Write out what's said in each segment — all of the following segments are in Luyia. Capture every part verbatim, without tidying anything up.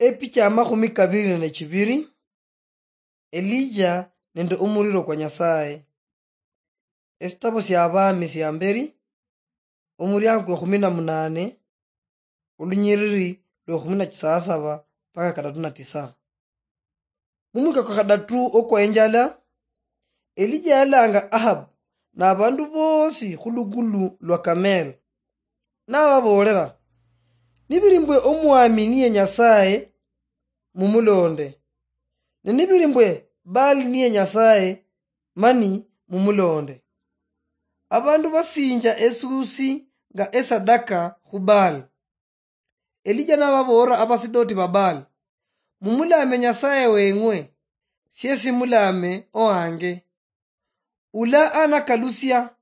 Epicha ya makhumi kabiri nende chibiri. Elija nende omuliro kwa Nyasaye. Esitabo sia Abami sia mberi, omuriango kwa ekhumi na munane, olunyiriri lwa ekhumi na chisasaba mpaka kadatu na tisa. Mumwika kwa kadatu okwa enjala, Elija yalanga Ahab na abandu bosi khulugulu lwa Kamel, nababoolera, "Nibiri mbwe omwami niye Nyasaye, mumulonde, ne nibiri mbwe Baali niye Nyasaye, mani mumulonde." Abandu basinja esuusi nga esadaka khu Baali. Elija nababoolera abasidoti ba Baali, "Mumulame Nyasaye weng'we, siesi mulame owange. Ula anakalusia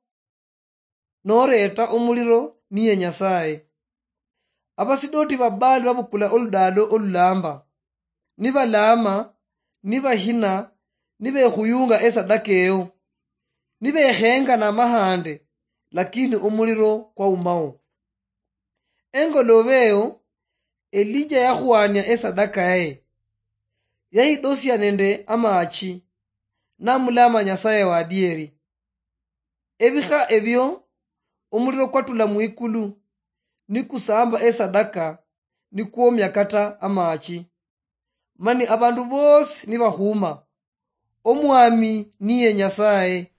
noreeta omuliro niye Nyasaye." Abasidoti ba Baali babukula oludaalo olulamba, nibalaama, nibahina, nibekhuyunga esadaka eyo, nibekhenga namahande, lakini omuliro kwaumawo. Engoloobe eyo, Elija yakhwania esadaka yaye, yayidosia nende amachi, namulama Nyasaye wadieri. Ebikha ebio, omuliro kwatula mwikulu, nikusamba esadaka, nikwomia kata amachi. Mani abandu bosi nibakhuma, "Omwami niye Nyasaye,